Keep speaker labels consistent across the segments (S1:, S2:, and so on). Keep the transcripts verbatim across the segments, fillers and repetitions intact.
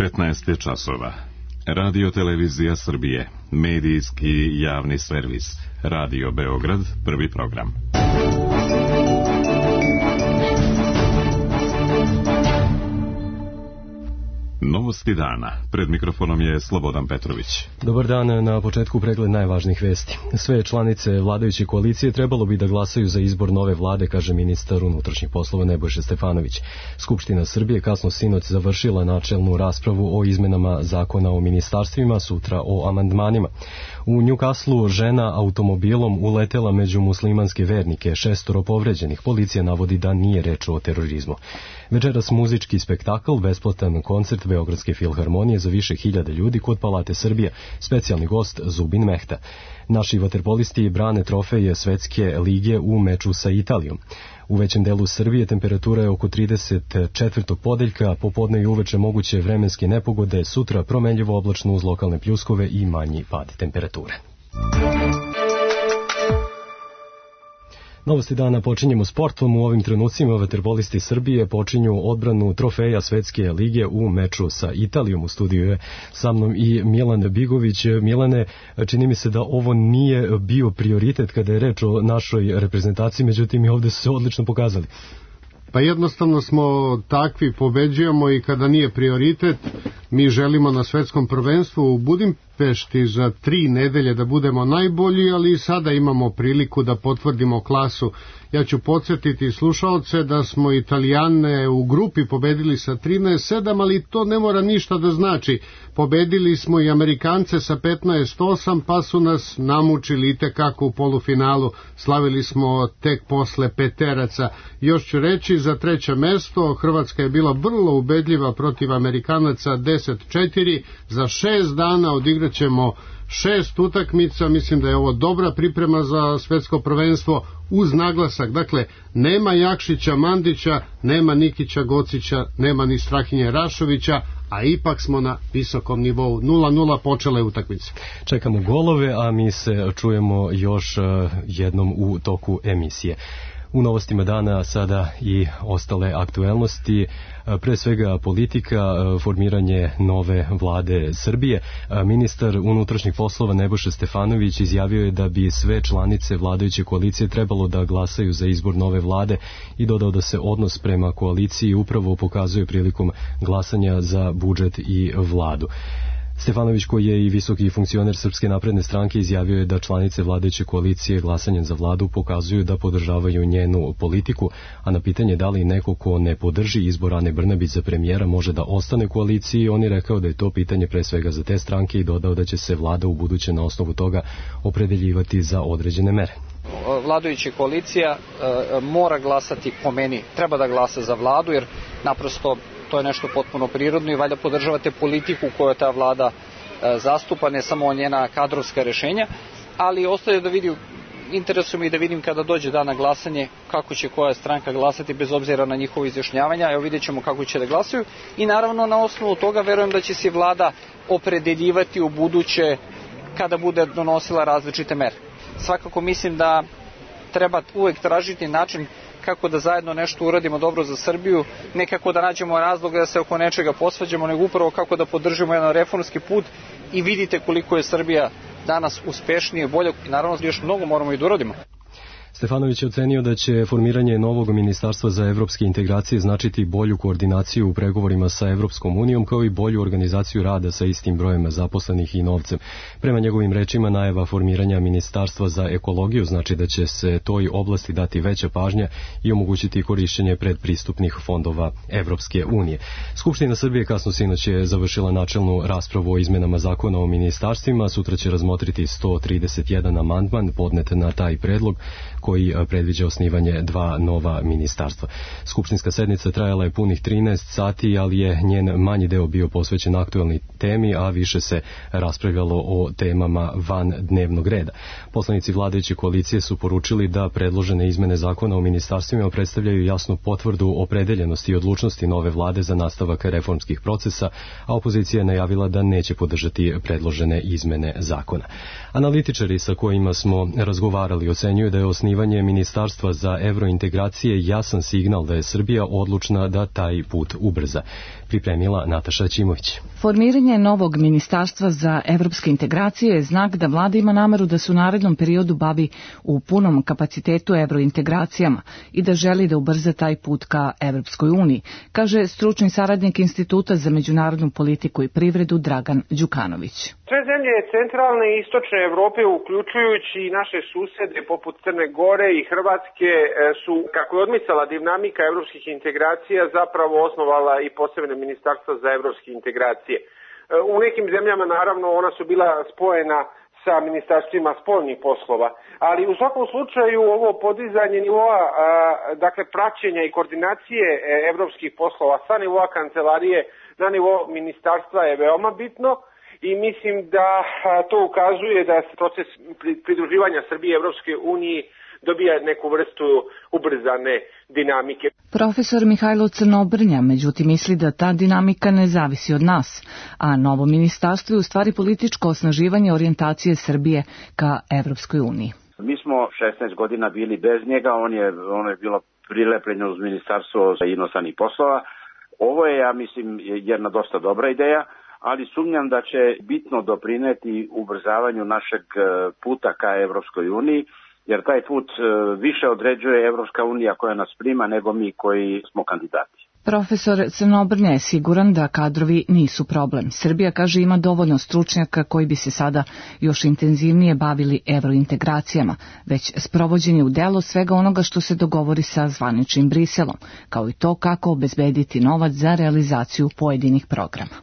S1: petnaest je časova. Radio Televizija Srbije, medijski javni servis. Radio Beograd, prvi program. Novosti dana. Pred mikrofonom je Slobodan Petrović.
S2: Dobar dan, na početku pregled najvažnijih vesti. Sve članice vladajuće koalicije trebalo bi da glasaju za izbor nove vlade, kaže ministar unutrašnjih poslova Nebojša Stefanović. Skupština Srbije kasno sinoć završila načelnu raspravu o izmenama zakona o ministarstvima, sutra o amandmanima. U Newcastlu žena automobilom uletela među muslimanske vernike, šestoro povređenih. Policija navodi da nije reč o terorizmu. Večeras muzički spektakl, besplatan koncert Beogradske filharmonije za više hiljada ljudi kod Palate Srbije, specijalni gost Zubin Mehta. Naši vaterpolisti brane trofeje Svetske lige u meču sa Italijom. U većem delu Srbije temperatura je oko trideset četvrtog podeljka, popodne i uveče moguće vremenske nepogode, sutra promenljivo oblačno uz lokalne pljuskove i manji pad temperature. Novosti dana počinjemo sportom. U ovim trenucima vaterpolisti Srbije počinju odbranu trofeja Svetske lige u meču sa Italijom. U studiju je sa mnom i Milan Bigović. Milane, čini mi se da ovo nije bio prioritet kada je reč o našoj reprezentaciji, međutim i ovde su se odlično pokazali.
S3: Pa jednostavno smo takvi, pobeđujemo i kada nije prioritet. Mi želimo na svetskom prvenstvu u Budimpešti za tri nedelje da budemo najbolji, ali i sada imamo priliku da potvrdimo klasu. Ja ću podsjetiti slušaoce da smo Italijane u grupi pobedili sa trinaest sedam, ali to ne mora ništa da znači. Pobedili smo i Amerikance sa petnaest osam, pa su nas namučili itekako u polufinalu. Slavili smo tek posle peteraca. Još ću reći, za treće mesto Hrvatska je bila vrlo ubedljiva protiv Amerikanaca deset četiri. Za šest dana odigrat ćemo šest utakmica. Mislim da je ovo dobra priprema za svetsko prvenstvo uz naglasak. Dakle, nema Jakšića Mandića, nema Nikića Gocića, nema ni Strahinje Rašovića, a ipak smo na visokom nivou. nula nula počela je utakmica.
S2: Čekamo golove, a mi se čujemo još jednom u toku emisije. U novostima dana sada i ostale aktuelnosti, pre svega politika, formiranje nove vlade Srbije. Ministar unutrašnjih poslova Nebojša Stefanović izjavio je da bi sve članice vladajuće koalicije trebalo da glasaju za izbor nove vlade i dodao da se odnos prema koaliciji upravo pokazuje prilikom glasanja za budžet i vladu. Stefanović, koji je i visoki funkcioner Srpske napredne stranke, izjavio je da članice vladajuće koalicije glasanjem za vladu pokazuju da podržavaju njenu politiku, a na pitanje da li neko ko ne podrži izbor Ane Brnabić za premijera može da ostane u koaliciji, on je rekao da je to pitanje pre svega za te stranke i dodao da će se vlada u buduće na osnovu toga opredeljivati za određene mere.
S4: Vladajuća koalicija e, mora glasati, po meni, treba da glasa za vladu, jer naprosto to je nešto potpuno prirodno i valjda podržavate politiku koju ta vlada e, zastupa, ne samo njena kadrovska rešenja, ali ostaje da vidim, interesuje mi da vidim kada dođe dan na glasanje kako će koja stranka glasati bez obzira na njihovo izjašnjavanja. Evo, vidjet ćemo kako će da glasaju i naravno na osnovu toga verujem da će se vlada opredeljivati u buduće kada bude donosila različite mere. Svakako mislim da treba uvek tražiti način kako da zajedno nešto uradimo dobro za Srbiju, ne kako da nađemo razlog da se oko nečega posvađamo, nego upravo kako da podržimo jedan reformski put i vidite koliko je Srbija danas uspešnije, bolje i naravno još mnogo moramo i da uradimo.
S2: Stefanović je ocenio da će formiranje novog ministarstva za evropske integracije značiti bolju koordinaciju u pregovorima sa Evropskom unijom, kao i bolju organizaciju rada sa istim brojem zaposlenih i novcem. Prema njegovim rečima, najava formiranja ministarstva za ekologiju znači da će se toj oblasti dati veća pažnja i omogućiti korišćenje predpristupnih fondova Evropske unije. Skupština Srbije kasno sinoć je završila načelnu raspravu o izmenama zakona o ministarstvima. Sutra će razmotriti sto trideset jedan amandman podnet na taj predlog, koji predviđa osnivanje dva nova ministarstva. Skupštinska sednica trajala je punih trinaest sati, ali je njen manji deo bio posvećen aktuelnoj temi, a više se raspravljalo o temama van dnevnog reda. Poslanici vladajuće koalicije su poručili da predložene izmene zakona o ministarstvima predstavljaju jasnu potvrdu opredeljenosti i odlučnosti nove vlade za nastavak reformskih procesa, a opozicija je najavila da neće podržati predložene izmene zakona. Analitičari sa kojima smo razgovarali ocenjuju da je osnivanje osnivanje Ministarstva za evrointegracije jasan signal da je Srbija odlučna da taj put ubrza. Pripremila Nataša Ćimović.
S5: Formiranje novog Ministarstva za evropske integracije je znak da vlada ima nameru da se u narednom periodu bavi u punom kapacitetu evrointegracijama i da želi da ubrza taj put ka Evropskoj uniji, kaže stručni saradnik Instituta za međunarodnu politiku i privredu Dragan Đukanović.
S6: Sve zemlje centralne i istočne Evrope, uključujući i naše susede poput Crne Gore i Hrvatske, su, kako je odmicala dinamika evropskih integracija, zapravo osnovala i posebne ministarstva za evropske integracije. U nekim zemljama, naravno, ona su bila spojena sa ministarstvima spoljnih poslova, ali u svakom slučaju ovo podizanje nivoa, dakle praćenja i koordinacije evropskih poslova sa nivoa kancelarije na nivo ministarstva je veoma bitno. I mislim da to ukazuje da proces pridruživanja Srbije Evropske uniji dobija neku vrstu ubrzane dinamike.
S5: Profesor Mihajlo Crnobrnja, međutim, misli da ta dinamika ne zavisi od nas, a novo ministarstvo je u stvari političko osnaživanje orijentacije Srbije ka Evropskoj uniji.
S7: Mi smo šesnaest godina bili bez njega, on je, ono je bilo prilepljeno uz ministarstvo za inostranih poslova. Ovo je, ja mislim, jedna dosta dobra ideja, ali sumnjam da će bitno doprineti ubrzavanju našeg puta ka Evropskoj uniji, jer taj put više određuje Evropska unija koja nas prima nego mi koji smo kandidati.
S5: Profesor Crnobrnja je siguran da kadrovi nisu problem. Srbija, kaže, ima dovoljno stručnjaka koji bi se sada još intenzivnije bavili evrointegracijama, već sprovođenje u delo svega onoga što se dogovori sa zvaničnim Briselom, kao i to kako obezbediti novac za realizaciju pojedinih programa.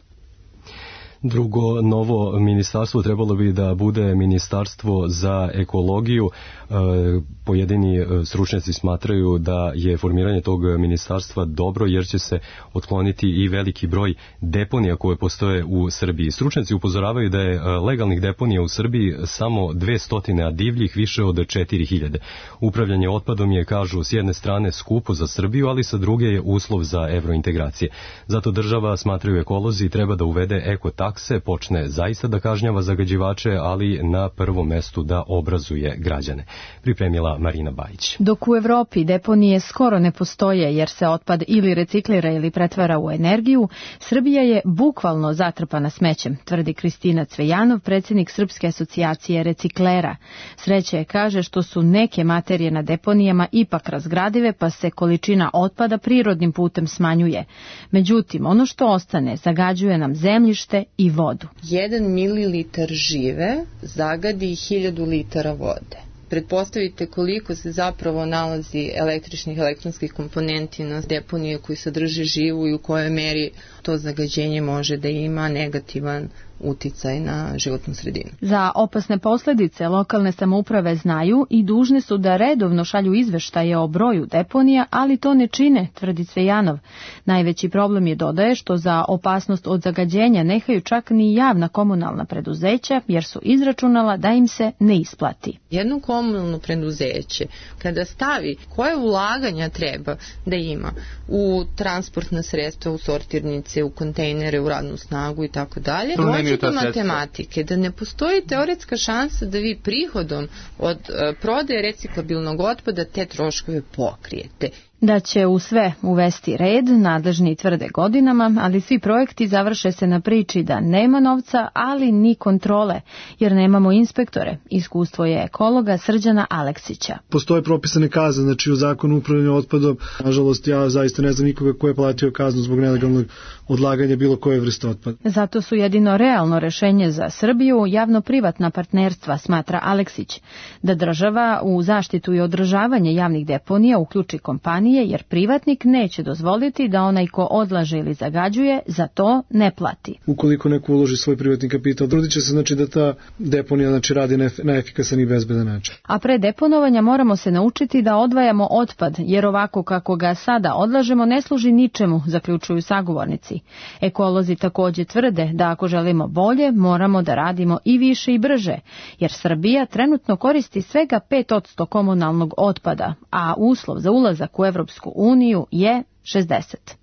S2: Drugo novo ministarstvo trebalo bi da bude ministarstvo za ekologiju. Pojedini stručnjaci smatraju da je formiranje tog ministarstva dobro jer će se otkloniti i veliki broj deponija koje postoje u Srbiji. Stručnjaci upozoravaju da je legalnih deponija u Srbiji samo dvesta, a divljih više od četiri hiljade. Upravljanje otpadom je, kažu, s jedne strane skupo za Srbiju, ali sa druge je uslov za evrointegracije. Zato država, smatraju ekolozi, treba da uvede ekotakse, počne zaista da kažnjava zagađivače, ali na prvom mestu da obrazuje građane. Pripremila Marina Bajić.
S8: Dok u Evropi deponije skoro ne postoje jer se otpad ili reciklira ili pretvara u energiju, Srbija je bukvalno zatrpana smećem, tvrdi Kristina Cvejanov, predsjednik Srpske asocijacije reciklera. Sreće je, kaže, što su neke materije na deponijama ipak razgradive, pa se količina otpada prirodnim putem smanjuje. Međutim, ono što ostane zagađuje nam zemljište i vodu.
S9: Jedan mililitar žive zagadi hiljadu litara vode. Pretpostavite koliko se zapravo nalazi električnih elektronskih komponenti na deponije koji sadrže živu i u kojoj meri to zagađenje može da ima negativan uticaj na životnu sredinu.
S8: Za opasne posljedice lokalne samouprave znaju i dužne su da redovno šalju izveštaje o broju deponija, ali to ne čine, tvrdi Cvejanov. Najveći problem je, dodaje, što za opasnost od zagađenja nehaju čak ni javna komunalna preduzeća, jer su izračunala da im se ne isplati.
S9: Jedno komunalno preduzeće, kada stavi koje ulaganja treba da ima u transportna sredstva, u sortirnice, u kontejnere, u radnu snagu i tako dalje, do matematike, da ne postoji teoretska šansa da vi prihodom od prodaje reciklabilnog otpada te troškove pokrijete.
S8: Da će u sve uvesti red, nadležni tvrde godinama, ali svi projekti završe se na priči da nema novca, ali ni kontrole, jer nemamo inspektore. Iskustvo je ekologa Srđana Aleksića.
S10: Postoje propisane kazne, znači u zakonu upravljanja otpadom. Nažalost, ja zaista ne znam nikoga ko je platio kaznu zbog nelegalnog odlaganja bilo koje vrste otpada.
S8: Zato su jedino realno rešenje za Srbiju javno-privatna partnerstva, smatra Aleksić, da država u zaštitu i održavanje javnih deponija uključi kompanije, jer privatnik neće dozvoliti da onaj ko odlaže ili zagađuje za to ne plati.
S10: Ukoliko neko uloži svoj privatni kapital, trudit će se, znači, da ta deponija, znači, radi na efikasan i bezbedan način.
S8: A pre deponovanja moramo se naučiti da odvajamo otpad, jer ovako kako ga sada odlažemo ne služi ničemu, zaključuju sagovornici. Ekolozi također tvrde da ako želimo bolje, moramo da radimo i više i brže, jer Srbija trenutno koristi svega pet posto komunalnog otpada, a uslov za ulazak u Evropsku uniju je šezdeset.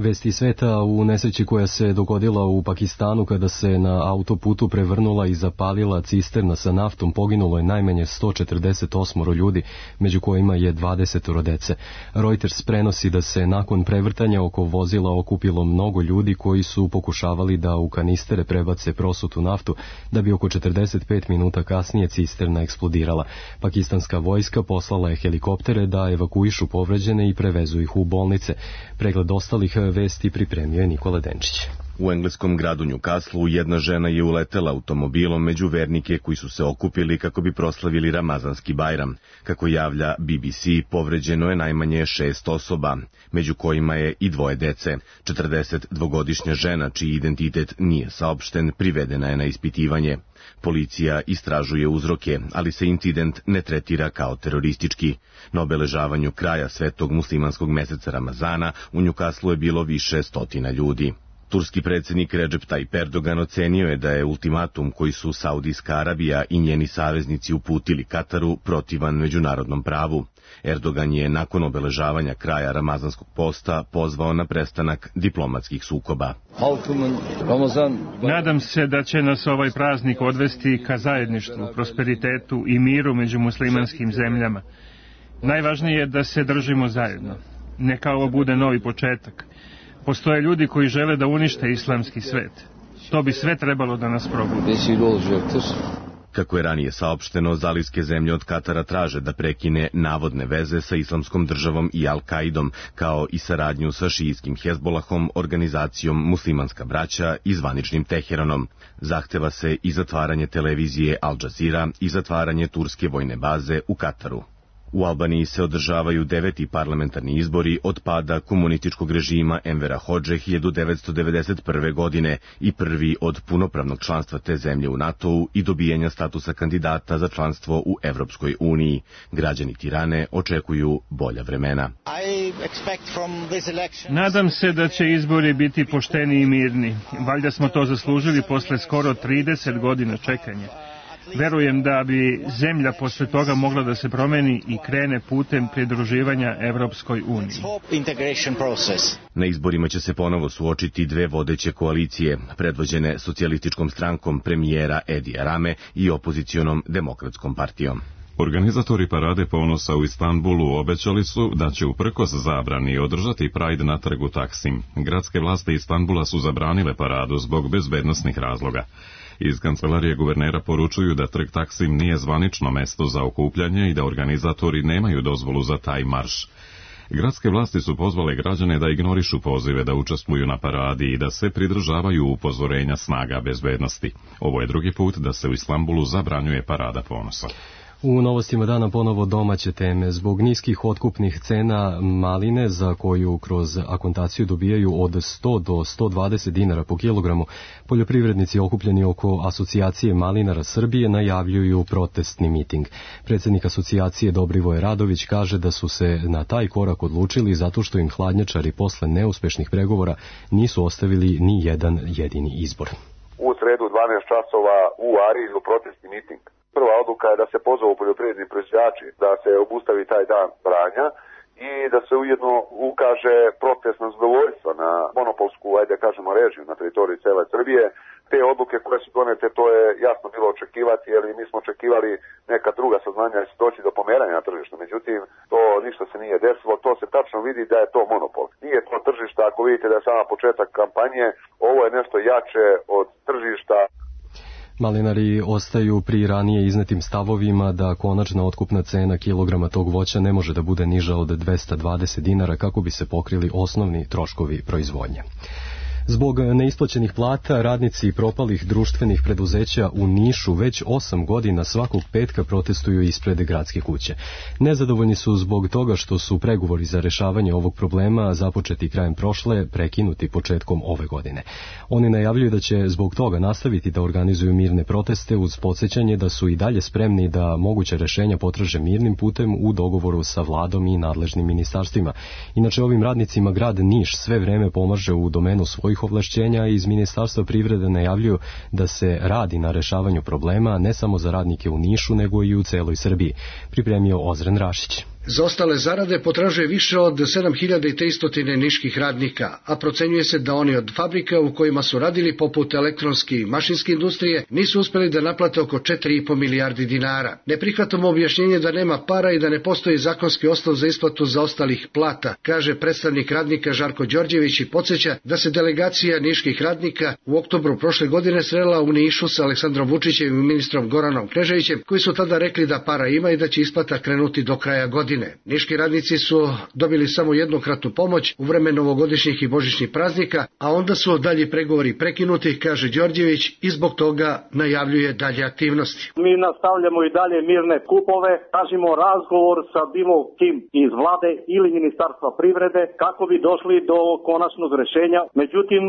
S2: Vesti sveta u nesreći koja se dogodila u Pakistanu kada se na autoputu prevrnula i zapalila cisterna sa naftom poginulo je najmanje sto četrdeset osam ljudi, među kojima je dvadeset dece. Reuters prenosi da se nakon prevrtanja oko vozila okupilo mnogo ljudi koji su pokušavali da u kanistere prebace prosutu naftu, da bi oko četrdeset pet minuta kasnije cisterna eksplodirala. Pakistanska vojska poslala je helikoptere da evakuišu povređene i prevezu ih u bolnice. Pregled ostalih vesti pripremio je Nikola Denčić.
S11: U engleskom gradu Newcastlu jedna žena je uletela automobilom među vernike koji su se okupili kako bi proslavili Ramazanski Bajram. Kako javlja B B C, povređeno je najmanje šest osoba, među kojima je i dvoje dece. četrdesetdvogodišnja žena, čiji identitet nije saopšten, privedena je na ispitivanje. Policija istražuje uzroke, ali se incident ne tretira kao teroristički. Na obeležavanju kraja svetog muslimanskog meseca Ramazana u Newcastlu je bilo više stotina ljudi. Turski predsjednik Recep Tayyip Erdogan ocenio je da je ultimatum koji su Saudijska Arabija i njeni saveznici uputili Kataru protivan međunarodnom pravu. Erdogan je nakon obeležavanja kraja Ramazanskog posta pozvao na prestanak diplomatskih sukoba.
S12: Nadam se da će nas ovaj praznik odvesti ka zajedništvu, prosperitetu i miru među muslimanskim zemljama. Najvažnije je da se držimo zajedno. Neka ovo bude novi početak. Postoje ljudi koji žele da unište islamski svet. To bi sve trebalo da nas probudi.
S11: Kako je ranije saopšteno, zalivske zemlje od Katara traže da prekine navodne veze sa Islamskom državom i Al-Kaidom, kao i saradnju sa šijitskim Hezbolahom, organizacijom Muslimanska braća i zvaničnim Teheranom. Zahteva se i zatvaranje televizije Al Jazeera i zatvaranje turske vojne baze u Kataru. U Albaniji se održavaju deveti parlamentarni izbori od pada komunističkog režima Envera Hodže hiljadu devetsto devedeset prve. godine i prvi od punopravnog članstva te zemlje u NATO-u i dobijanja statusa kandidata za članstvo u Evropskoj uniji. Građani Tirane očekuju bolja vremena.
S12: Nadam se da će izbori biti pošteni i mirni. Valjda smo to zaslužili posle skoro trideset godina čekanja. Verujem da bi zemlja posle toga mogla da se promeni i krene putem pridruživanja Evropskoj uniji.
S11: Na izborima će se ponovo suočiti dve vodeće koalicije, predvođene socijalističkom strankom premijera Edija Rame i opozicionom demokratskom partijom.
S1: Organizatori Parade ponosa u Istanbulu obećali su da će uprkos zabrani održati Pride na trgu Taksim. Gradske vlasti Istanbula su zabranile paradu zbog bezbednosnih razloga. Iz kancelarije guvernera poručuju da trg Taksim nije zvanično mesto za okupljanje i da organizatori nemaju dozvolu za taj marš. Gradske vlasti su pozvale građane da ignorišu pozive da učestvuju na paradi i da se pridržavaju upozorenja snaga bezbednosti. Ovo je drugi put da se u Istanbulu zabranjuje Parada ponosa.
S2: U novostima dana ponovo domaće teme. Zbog niskih otkupnih cena maline, za koju kroz akontaciju dobijaju od sto do sto dvadeset dinara po kilogramu, poljoprivrednici okupljeni oko Asocijacije malinara Srbije najavljuju protestni miting. Predsjednik asocijacije Dobrivoje Radović kaže da su se na taj korak odlučili zato što im hladnjačari posle neuspešnih pregovora nisu ostavili ni jedan jedini izbor.
S13: U sredu dvanaest časova u Arilju protestni miting. Prva odluka je da se pozovu poljoprivredni proizvođači, da se obustavi taj dan branja i da se ujedno ukaže protestno zadovoljstvo na monopolsku, ajde kažemo, režiju na teritoriji cele Srbije. Te odluke koje su donete, to je jasno bilo očekivati, jer mi smo očekivali neka druga saznanja da će doći do pomeranja na tržištu. Međutim, to ništa se nije desilo, to se tačno vidi da je to monopol. Nije to tržišta, ako vidite da je sama početak kampanje, ovo je nešto jače od tržišta.
S2: Malinari ostaju pri ranije iznetim stavovima da konačna otkupna cena kilograma tog voća ne može da bude niža od dvesta dvadeset dinara kako bi se pokrili osnovni troškovi proizvodnje. Zbog neisplaćenih plata, radnici propalih društvenih preduzeća u Nišu već osam godina svakog petka protestuju ispred gradske kuće. Nezadovoljni su zbog toga što su pregovori za rešavanje ovog problema započeti krajem prošle, prekinuti početkom ove godine. Oni najavljuju da će zbog toga nastaviti da organizuju mirne proteste uz podsjećanje da su i dalje spremni da moguće rešenja potraže mirnim putem u dogovoru sa vladom i nadležnim ministarstvima. Inače, ovim radnicima grad Niš sve vreme pomaže u domenu svojih ovlašćenja i iz Ministarstva privrede najavljuju da se radi na rešavanju problema ne samo za radnike u Nišu nego i u celoj Srbiji, pripremio Ozren Rašić.
S14: Za ostale zarade potražuje više od sedam hiljada tristo niških radnika, a procenjuje se da oni od fabrika u kojima su radili poput elektronske i mašinske industrije nisu uspeli da naplate oko četiri i po milijardi dinara. Ne prihvatamo objašnjenje da nema para i da ne postoji zakonski osnov za isplatu zaostalih plata, kaže predstavnik radnika Žarko Đorđević i podsjeća da se delegacija niških radnika u oktobru prošle godine srela u Nišu sa Aleksandrom Vučićem i ministrom Goranom Kneževićem, koji su tada rekli da para ima i da će isplata krenuti do kraja godine. Niški radnici su dobili samo jednokratnu pomoć u vreme novogodišnjih i božićnih praznika, a onda su dalji pregovori prekinuti, kaže Đorđević, i zbog toga najavljuje dalje aktivnosti.
S15: Mi nastavljamo i dalje mirne kupove, tražimo razgovor sa bilo kim iz vlade ili ministarstva privrede kako bi došli do konačnog rešenja. Međutim,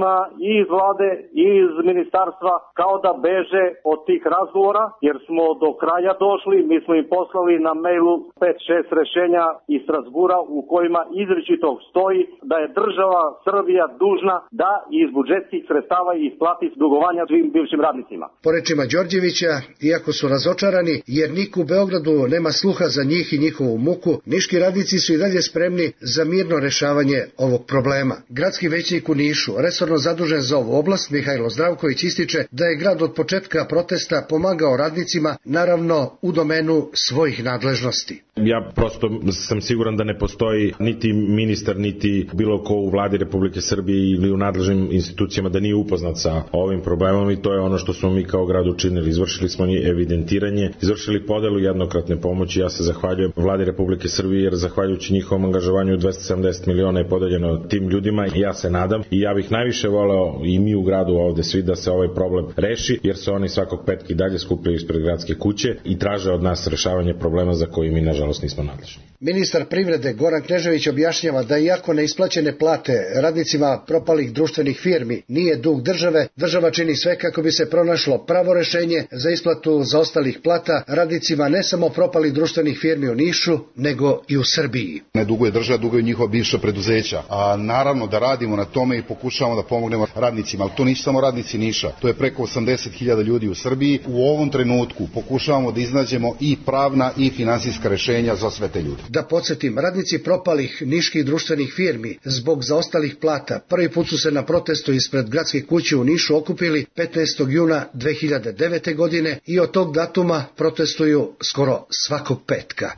S15: i iz vlade i iz ministarstva kao da beže od tih razgovora, jer smo do kraja došli, mi smo im poslali na mailu pet šest rešenja iz Strasbura u kojima izričito stoji da je država Srbija dužna da iz budžetskih sredstava isplati dugovanja svim bivšim radnicima.
S14: Po rečima Đorđevića, iako su razočarani jer niko u Beogradu nema sluha za njih i njihovu muku, niški radnici su i dalje spremni za mirno rešavanje ovog problema. Gradski većnik u Nišu, resorno zadužen za ovu oblast, Mihajlo Zdravković, ističe da je grad od početka protesta pomagao radnicima, naravno u domenu svojih nadležnosti.
S16: Ja prosto sam siguran da ne postoji niti ministar, niti bilo ko u vladi Republike Srbije ili u nadležnim institucijama da nije upoznat sa ovim problemom, i to je ono što smo mi kao grad učinili. Izvršili smo evidentiranje, izvršili podelu jednokratne pomoći. Ja se zahvaljujem vladi Republike Srbije jer zahvaljujući njihovom angažovanju dvesta sedamdeset miliona je podeljeno tim ljudima i ja se nadam i ja bih najviše voleo i mi u gradu ovde svi da se ovaj problem reši, jer se oni svakog petka i dalje skupljaju ispred gradske kuće i traže od nas rešavanje problema za koji mi nažalost nismo nadležni.
S14: Ministar privrede Goran Knežević objašnjava da iako neisplaćene plate radnicima propalih društvenih firmi nije dug države, država čini sve kako bi se pronašlo pravo rešenje za isplatu zaostalih plata radnicima ne samo propalih društvenih firmi u Nišu, nego i u Srbiji.
S17: Ne duguje država, duguje njihova bivša preduzeća. A naravno da radimo na tome i pokušavamo da pomognemo radnicima, ali to nisu samo radnici Niša, to je preko osamdeset hiljada ljudi u Srbiji. U ovom trenutku pokušavamo da iznađemo i pravna i finansijska rešenja za sve te ljude.
S14: Da podsjetim, radnici propalih niških društvenih firmi zbog zaostalih plata prvi put su se na protestu ispred gradske kuće u Nišu okupili petnaestog juna dve hiljade devete. godine i od tog datuma protestuju skoro svakog petka.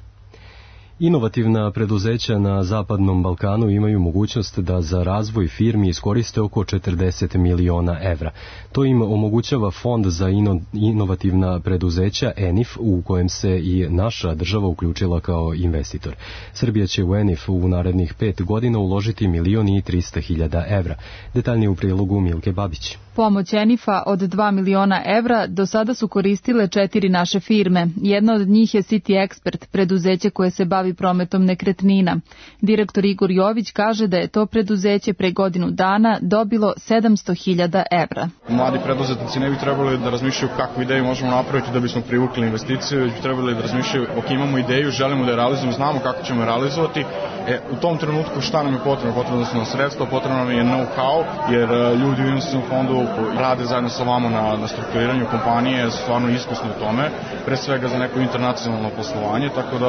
S2: Inovativna preduzeća na Zapadnom Balkanu imaju mogućnost da za razvoj firmi iskoriste oko četrdeset miliona evra. To im omogućava Fond za ino, inovativna preduzeća E N I F, u kojem se i naša država uključila kao investitor. Srbija će u E N I F u narednih pet godina uložiti milion i trista hiljada evra. Detaljnije u prilogu Milke Babić.
S18: Pomoć E N I F-a od dva miliona evra do sada su koristile četiri naše firme. Jedna od njih je City Expert, preduzeće koje se bavi prometom nekretnina. Direktor Igor Jović kaže da je to preduzeće pre godinu dana dobilo sedamsto hiljada evra.
S19: Mladi preduzetnici ne bi trebali da razmišljaju kakvu ideju možemo napraviti da bismo privukli investicije, već bi trebali da razmišljaju ok, imamo ideju, želimo da je realizujemo, znamo kako ćemo je realizovati. E, u tom trenutku šta nam je potrebno? Potrebno su nam sredstva, potrebno nam je know-how, jer ljudi u investicionom fondu rade zajedno sa vama na, na strukturiranju kompanije, su stvarno iskusni u tome, pre svega za neko internacionalno poslovanje, tako da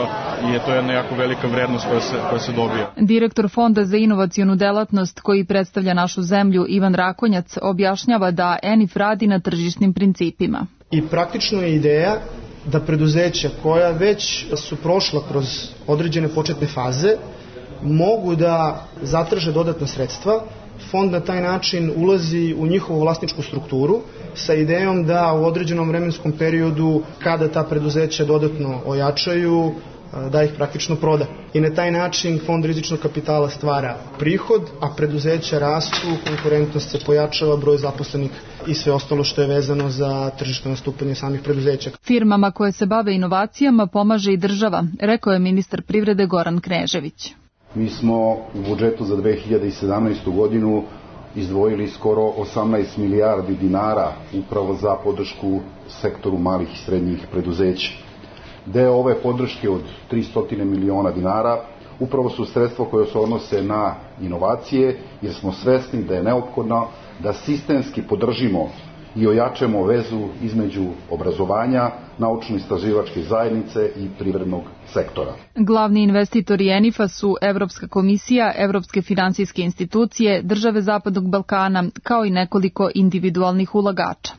S19: je to jedna jako velika vrednost koja se, koja se dobija.
S18: Direktor Fonda za inovacionu delatnost koji predstavlja našu zemlju, Ivan Rakonjac, objašnjava da E N I F radi na tržišnim principima.
S20: I praktično je ideja da preduzeća koja već su prošla kroz određene početne faze mogu da zatraže dodatna sredstva. Fond na taj način ulazi u njihovu vlasničku strukturu sa idejom da u određenom vremenskom periodu, kada ta preduzeća dodatno ojačaju, da ih praktično proda. I na taj način Fond rizičnog kapitala stvara prihod, a preduzeća rastu, konkurentnost se pojačava, broj zaposlenih i sve ostalo što je vezano za tržišno nastupanje samih preduzeća.
S18: Firmama koje se bave inovacijama pomaže i država, rekao je ministar privrede Goran Knežević.
S17: Mi smo u budžetu za dve hiljade sedamnaestu. godinu izdvojili skoro osamnaest milijardi dinara upravo za podršku sektoru malih i srednjih preduzeća. Deo ove podrške od tristo miliona dinara upravo su sredstva koje se odnose na inovacije, jer smo svesni da je neophodno da sistemski podržimo i ojačemo vezu između obrazovanja, naučno-istraživačke zajednice i privrednog sektora.
S18: Glavni investitori ENIF-a su Evropska komisija, Evropske finansijske institucije, države Zapadnog Balkana, kao i nekoliko individualnih ulagača.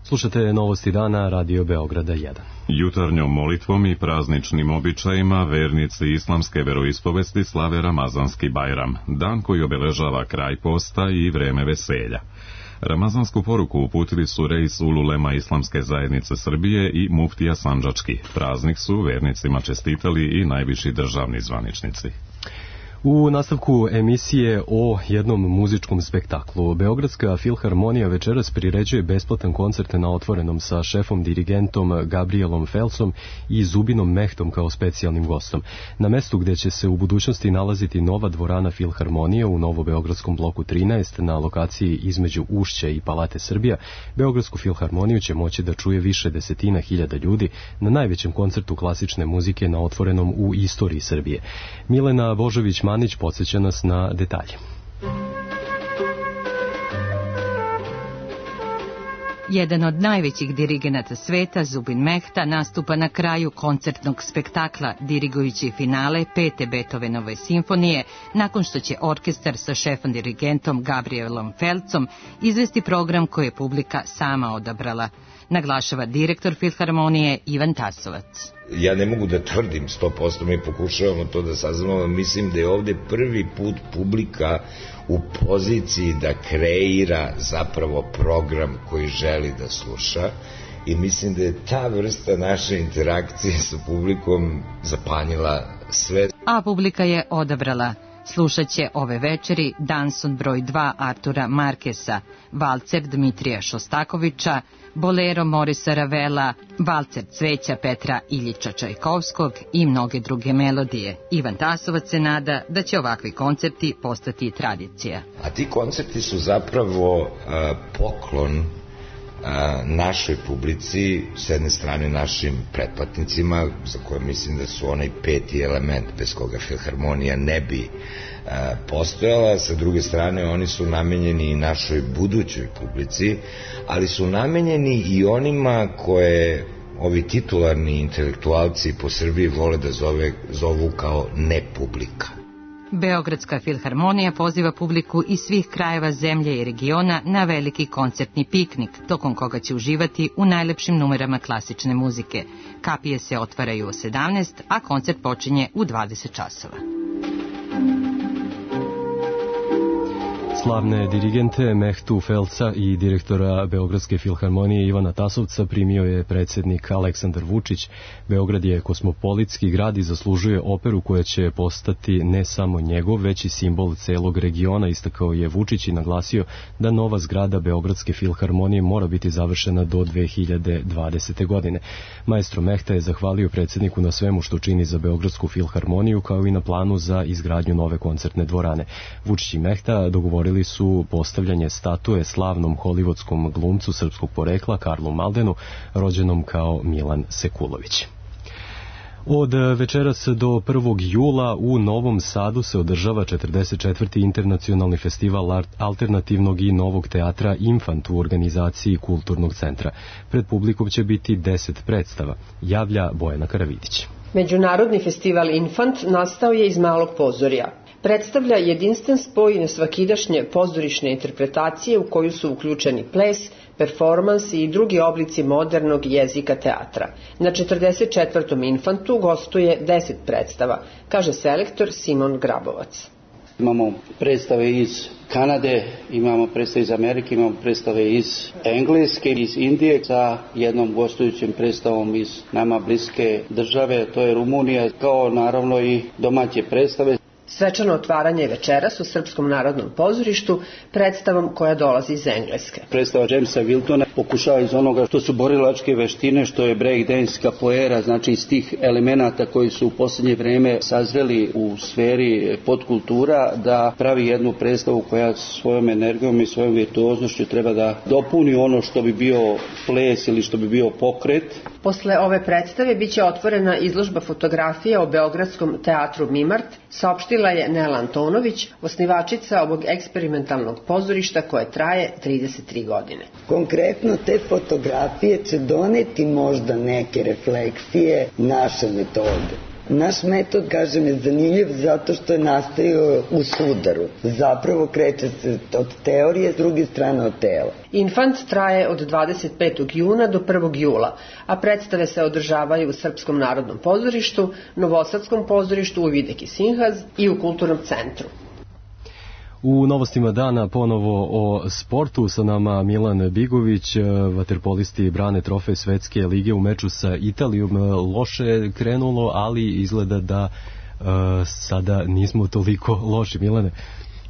S2: Slušate Novosti dana, Radio Beograda jedan.
S1: Jutarnjom molitvom i prazničnim običajima vernici islamske veroispovesti slave Ramazanski Bajram, dan koji obeležava kraj posta i vreme veselja. Ramazansku poruku uputili su Reis Ululema Islamske zajednice Srbije i muftija Sandžački. Praznik su vernicima čestitali i najviši državni zvaničnici.
S2: U nastavku emisije o jednom muzičkom spektaklu, Beogradska filharmonija večeras priređuje besplatan koncert na otvorenom sa šefom dirigentom Gabrielom Felsom i Zubinom Mehtom kao specijalnim gostom. Na mestu gde će se u budućnosti nalaziti nova dvorana filharmonije u Novobeogradskom bloku trinaest na lokaciji između Ušća i Palate Srbija, Beogradsku filharmoniju će moći da čuje više desetina hiljada ljudi na najvećem koncertu klasične muzike na otvorenom u istoriji Srbije. Milena Božović Manić podsjeća nas na detalje.
S21: Jedan od najvećih dirigenata sveta, Zubin Mehta, nastupa na kraju koncertnog spektakla, dirigujući finale pete Beethovenove simfonije, nakon što će orkestar sa šefom dirigentom Gabrielom Felcom izvesti program koji je publika sama odabrala, naglašava direktor filharmonije Ivan Tasovac.
S22: Ja ne mogu da tvrdim sto posto, mi pokušavamo to da saznamo, mislim da je ovde prvi put publika u poziciji da kreira zapravo program koji želi da sluša i mislim da je ta vrsta naše interakcije sa publikom zapanjila sve.
S21: A publika je odabrala. Slušat će ove večeri Danson broj dva Artura Markesa, Valcer Dmitrija Šostakovića, Bolero Morisa Ravela, Valcer Cveća Petra Iljiča Čajkovskog i mnoge druge melodije. Ivan Tasovac se nada da će ovakvi koncerti postati tradicija.
S22: A ti koncerti su zapravo a, poklon a, našoj publici, s jedne strane našim pretplatnicima, za koje mislim da su onaj peti element bez koga filharmonija ne bi a, postojala, sa druge strane oni su namenjeni i našoj budućoj publici, ali su namenjeni i onima koje ovi titularni intelektualci po Srbiji vole da zove, zovu kao nepublika.
S21: Beogradska filharmonija poziva publiku iz svih krajeva zemlje i regiona na veliki koncertni piknik, tokom koga će uživati u najlepšim numerama klasične muzike. Kapije se otvaraju u sedamnaest, a koncert počinje u dvadeset časova.
S2: Slavne dirigente Mehtu Felca i direktora Beogradske filharmonije Ivana Tasovca primio je predsjednik Aleksandar Vučić. Beograd je kosmopolitski grad i zaslužuje operu koja će postati ne samo njegov, već i simbol celog regiona, istakao je Vučić i naglasio da nova zgrada Beogradske filharmonije mora biti završena do dve hiljade dvadesete. godine. Maestro Mehta je zahvalio predsjedniku na svemu što čini za Beogradsku filharmoniju, kao i na planu za izgradnju nove koncertne dvorane. Vučić i Mehta dogovorili su postavljanje statue slavnom holivudskom glumcu srpskog porekla Karlu Maldenu, rođenom kao Milan Sekulović. Od večeras do prvog jula u Novom Sadu se održava četrdeset četvrti internacionalni festival alternativnog i novog teatra Infant u organizaciji Kulturnog centra. Pred publikom će biti deset predstava, javlja Bojana Karavidić.
S23: Međunarodni festival Infant nastao je iz Malog pozorja. Predstavlja jedinstven spoj nesvakidašnje pozorišne interpretacije u koju su uključeni ples, performans i drugi oblici modernog jezika teatra. Na četrdeset četvrtom Infantu gostuje deset predstava, kaže selektor Simon Grabovac.
S24: Imamo predstave iz Kanade, imamo predstave iz Amerike, imamo predstave iz Engleske, iz Indije, sa jednom gostujućim predstavom iz nama bliske države, to je Rumunija, kao naravno i domaće predstave.
S23: Svečano otvaranje večeras u Srpskom narodnom pozorištu predstavom koja dolazi iz Engleske.
S24: Predstava Jamesa Wiltona pokušava iz onoga što su borilačke veštine, što je breakdance, capoeira, znači iz tih elemenata koji su u posljednje vreme sazreli u sferi podkultura, da pravi jednu predstavu koja svojom energijom i svojom virtuoznošću treba da dopuni ono što bi bio ples ili što bi bio pokret.
S23: Posle ove predstave biće otvorena izložba fotografija o Beogradskom teatru Mimart, saopštio saopštila je Nela Antonović, osnivačica ovog eksperimentalnog pozorišta koje traje trideset tri godine.
S3: Konkretno te fotografije će doneti možda neke refleksije naše metode. Naš metod, kažem, je zanimljiv zato što je nastajao u sudaru. Zapravo kreće se od teorije, s druge strane od tela.
S23: Infant traje od dvadeset petog juna do prvog jula, a predstave se održavaju u Srpskom narodnom pozorištu, Novosadskom pozorištu, u Videki Sinhaz i u Kulturnom centru.
S2: U novostima dana ponovo o sportu, sa nama Milan Bigović, vaterpolisti brane trofej Svetske lige u meču sa Italijom. Loše krenulo, ali izgleda da uh, sada nismo toliko loši, Milane.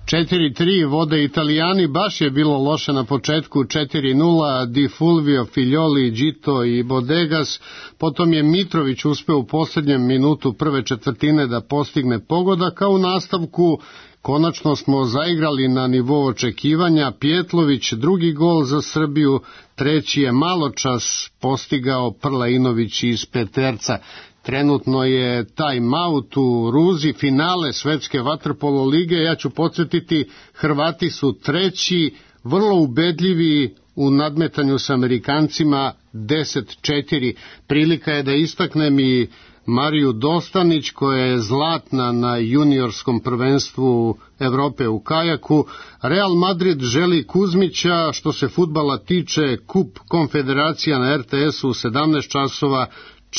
S4: četiri tri vode Italijani, baš je bilo loše na početku, četiri nula, Di Fulvio, Figlioli, Gito i Bodegas, potom je Mitrović uspeo u posljednjem minutu prve četvrtine da postigne pogodak, a u nastavku konačno smo zaigrali na nivou očekivanja. Pjetlović drugi gol za Srbiju, treći je maločas postigao Prlainović iz peterca. Trenutno je time-out u Ruzi, finale Svetske vaterpolo lige. Ja ću podsjetiti, Hrvati su treći, vrlo ubedljivi u nadmetanju s Amerikancima, deset četiri. Prilika je da istaknem i Mariju Dostanić, koja je zlatna na juniorskom prvenstvu Evrope u kajaku. Real Madrid želi Kuzmića. Što se fudbala tiče, Kup Konfederacija na er te esu u sedamnaest časova,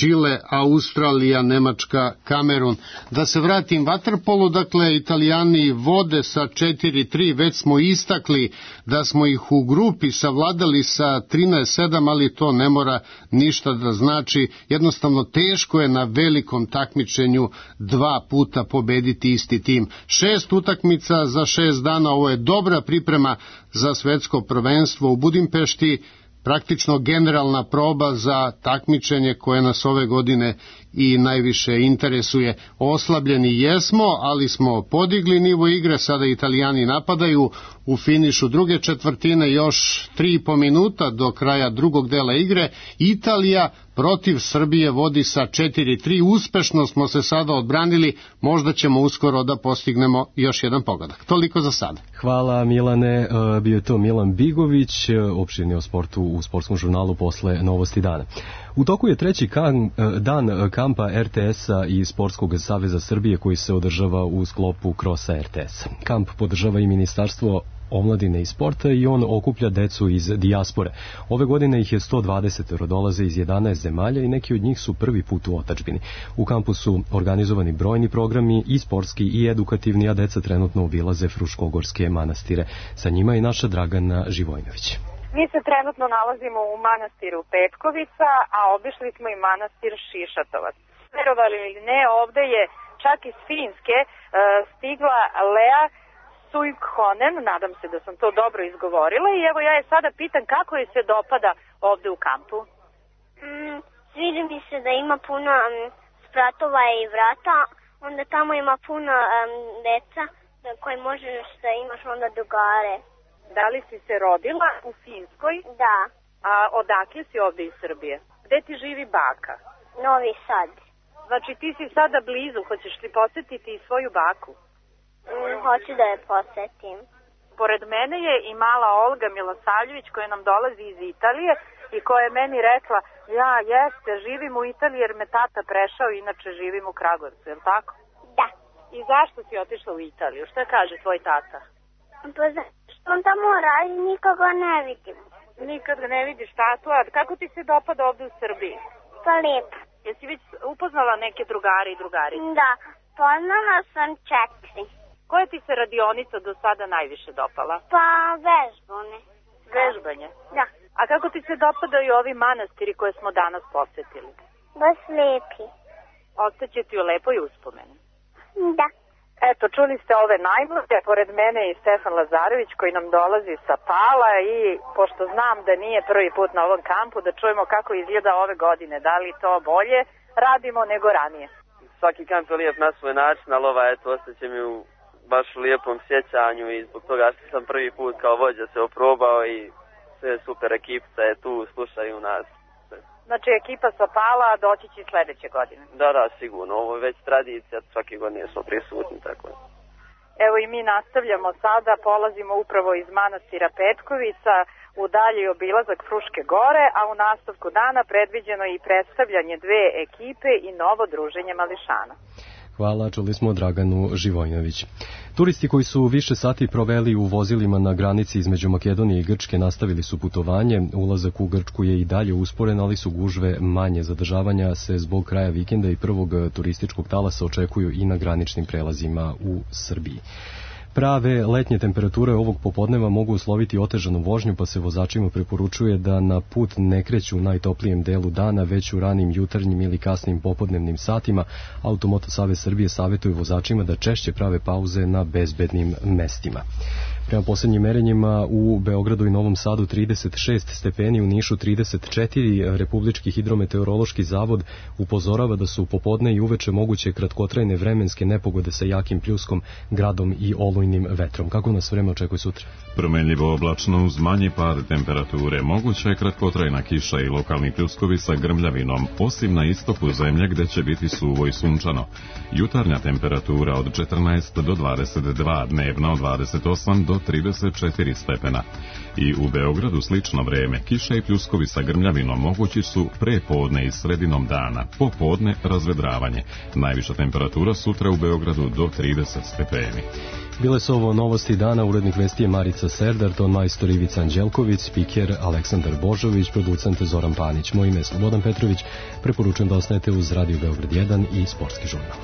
S4: Čile, Australija, Nemačka, Kamerun. Da se vratim vaterpolu, dakle, Italijani vode sa četiri tri, već smo istakli da smo ih u grupi savladali sa trinaest sedam, ali to ne mora ništa da znači. Jednostavno teško je na velikom takmičenju dva puta pobediti isti tim. Šest utakmica za šest dana, ovo je dobra priprema za svetsko prvenstvo u Budimpešti, praktično generalna proba za takmičenje koje nas ove godine i najviše interesuje. Oslabljeni jesmo, ali smo podigli nivo igre, sada Italijani napadaju. U finišu druge četvrtine još tri i po minuta do kraja drugog dela igre. Italija protiv Srbije vodi sa četiri tri, uspešno smo se sada odbranili, možda ćemo uskoro da postignemo još jedan pogodak. Toliko za sada.
S2: Hvala Milane, bio je to Milan Bigović, opširni o sportu u sportskom žurnalu posle Novosti dana. U toku je treći kan, dan kampa er te esa i Sportskog saveza Srbije koji se održava u sklopu Krosa er te es. Kamp podržava i Ministarstvo omladine i sporta i on okuplja decu iz dijaspore. Ove godine ih je sto dvadeset, dolaze iz jedanaest zemalja i neki od njih su prvi put u otadžbini. U kampu su organizovani brojni programi i sportski i edukativni, a deca trenutno obilaze Fruškogorske manastire. Sa njima je naša Dragana Živojnović.
S6: Mi se trenutno nalazimo u manastiru Petkovica, a obišli smo i manastir Šišatovac. Verovali ili ne, ovde je čak iz Finske uh, stigla Lea Suikhonen, nadam se da sam to dobro izgovorila, i evo ja je sada pitam kako je se dopada ovde u kampu.
S7: Mm, sviđa mi se da ima puno um, spratova i vrata, onda tamo ima puno um, deca koje možeš da imaš onda drugare.
S6: Da li si se rodila u Finskoj?
S7: Da.
S6: A odakle si ovde iz Srbije? Gde ti živi baka?
S7: Novi Sad.
S6: Znači ti si sada blizu, hoćeš li posetiti i svoju baku?
S7: Mm, hoću da je posetim.
S6: Pored mene je i mala Olga Milosavljević koja nam dolazi iz Italije i koja je meni rekla, ja jeste, živim u Italiji jer me tata prešao, inače živim u Kragujevcu, je li tako?
S7: Da.
S6: I zašto si otišla u Italiju? Šta kaže tvoj tata?
S7: Pa zašto on tamo radi, nikoga ne vidim.
S6: Nikad ga ne vidiš, tatu, a kako ti se dopada ovde u Srbiji?
S7: Pa lijepo.
S6: Jesi već upoznala neke drugare i drugarice?
S7: Da, poznala sam četiri.
S6: Koja ti se radionica do sada najviše dopala?
S7: Pa vežbane.
S6: Vežbanje?
S7: Da.
S6: A kako ti se dopadaju ovi manastiri koje smo danas posetili?
S7: Baš lijepi.
S6: Ostaće ti u lepoj uspomeni.
S7: Da.
S6: Eto, čuli ste ove najmlađe, pored mene i Stefan Lazarević koji nam dolazi sa Pala i pošto znam da nije prvi put na ovom kampu, da čujemo kako izgleda ove godine, da li to bolje radimo nego ranije.
S25: Svaki kamp je lijep na svoj način, ali ova, eto, ostaće mi u baš u lijepom sjećanju i zbog toga što sam prvi put kao vođa se oprobao i sve super, ekipica je tu, slušaju nas.
S6: Znači ekipa Sopala doći će sledeće godine.
S25: Da, da, sigurno. Ovo je već tradicija, svake godine smo prisutni, tako je.
S6: Evo i mi nastavljamo sada, polazimo upravo iz manastira Petkovica u dalji obilazak Fruške gore, a u nastavku dana predviđeno i predstavljanje dve ekipe i novo druženje mališana.
S2: Hvala, čuli smo Draganu Živojnović. Turisti koji su više sati proveli u vozilima na granici između Makedonije i Grčke nastavili su putovanje. Ulazak u Grčku je i dalje usporen, ali su gužve manje. Zadržavanja se zbog kraja vikenda i prvog turističkog talasa očekuju i na graničnim prelazima u Srbiji. Prave letnje temperature ovog popodneva mogu usloviti otežanu vožnju, pa se vozačima preporučuje da na put ne kreću u najtoplijem delu dana, već u ranim jutarnjim ili kasnim popodnevnim satima. Automoto Savez Srbije savjetuje vozačima da češće prave pauze na bezbednim mestima. Prema posljednjim merenjima u Beogradu i Novom Sadu trideset šest stepeni, u Nišu trideset četiri, Republički hidrometeorološki zavod upozorava da su popodne i uveče moguće kratkotrajne vremenske nepogode sa jakim pljuskom, gradom i olujnim vetrom. Kako nas vreme očekuje sutra?
S1: Promenljivo oblačno uz manji pad temperature, moguća je kratkotrajna kiša i lokalni pljuskovi sa grmljavinom, osim na istoku zemlje gde će biti suvo i sunčano. Jutarnja temperatura od četrnaest do dvadeset dva, dnevna od dvadeset osam do trideset četiri stepena. I u Beogradu slično vreme, kiša i pljuskovi sa grmljavinom mogući su pre podne i sredinom dana, popodne razvedravanje. Najviša temperatura sutra u Beogradu do trideset stepeni.
S2: Bile su ovo novosti dana, urednik vesti je Marica Serdar, ton majstor Ivica Anđelković, spiker Aleksandar Božović, producent Zoran Panić. Moje ime je Slobodan Petrović, preporučujem da ostanete uz Radio Beograd jedan i Sportski žurnal.